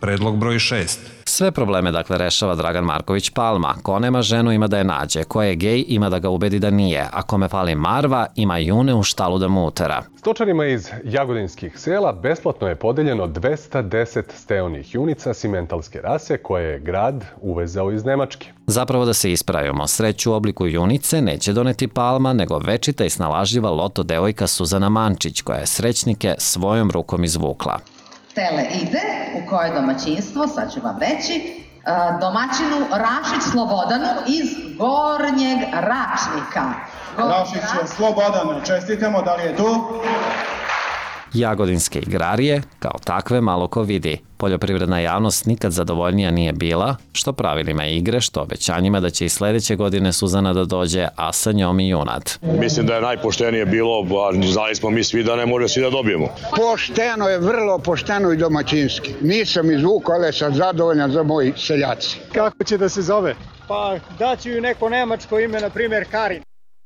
Predlog broj 6. Sve probleme rešava Dragan Marković Palma. Ko nema ženu ima da je nađe, ko je gej ima da ga ubedi da nije, a kome fali marva ima june u štalu da mu utera. Stočarima iz jagodinskih sela besplatno je podeljeno 210 steonih junica simentalske rase koje je grad uvezao iz Nemačke. Zapravo da se ispravimo, sreću u obliku junice neće doneti Palma, nego večita i snalažljiva loto devojka Suzana Mančić, koja je srećnike svojom rukom izvukla. Tele ide, u koje domaćinstvo, sad ću vam reći, domaćinu Rašić Slobodanu iz Gornjeg Račnika. Rašić Slobodanu, čestitamo, da li je tu? Jagodinske igrarije, kao takve, malo ko vidi. Poljoprivredna javnost nikad zadovoljnija nije bila, što pravilima igre, što obećanjima da će i sledeće godine Suzana da dođe, a sa njom i junad. Mislim da je najpoštenije bilo, znali smo mi svi da ne može svi da dobijemo. Pošteno je, vrlo pošteno i domaćinski. Nisam izvukao, ali sam zadovoljan za moji seljaci. Kako će da se zove? Pa daću ju neko nemačko ime, na primjer Karin.